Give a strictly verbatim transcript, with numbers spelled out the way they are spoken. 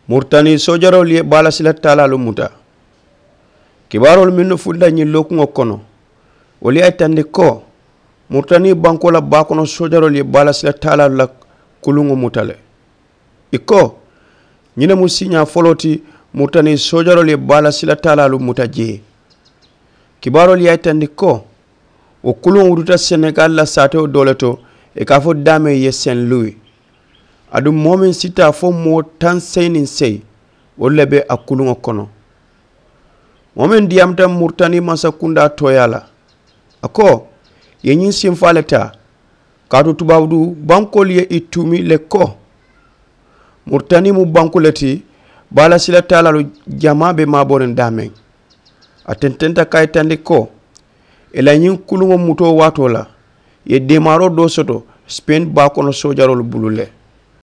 Muritani soojaroolu ye baalasila taalaalu muta. Kibaaroolu mennu fulita ñiŋ lookuŋo kono, wolu ye a yitandi ko muritani bankoo la baa kono soojaroolu ye baalasila taalaalu la kuluŋo muta le. I ko ñiŋ ne mu siiñaa foloo ti muritani soojaroolu ye baalasila taalaalu muta jee. Kibaaroolu ye a yitandi ko wo kuluŋo wututa senegali la saatewo doo le to, i ka a fo daameŋ ye sen luwi. Aduŋ moo meŋ si taa fo moo taŋ seyi niŋ seyi, wolu le be a kuluŋo kono. Moo meŋ diyaamuta muritani mansakundaa tooyaa la, a ko i ye ñiŋ sinfaa le taa, kaatu tubaabu bankoolu ye i tuumi le ko muritani mu banku le ti, baalasila taalaalu jamaa be maaboriŋ daameŋ. A tententa ka a yitandi ko i la ñiŋ kuluŋo mutoo waatoo la i ye deemaaroo doo soto sipeeni baa kono soojaroolu bulu le.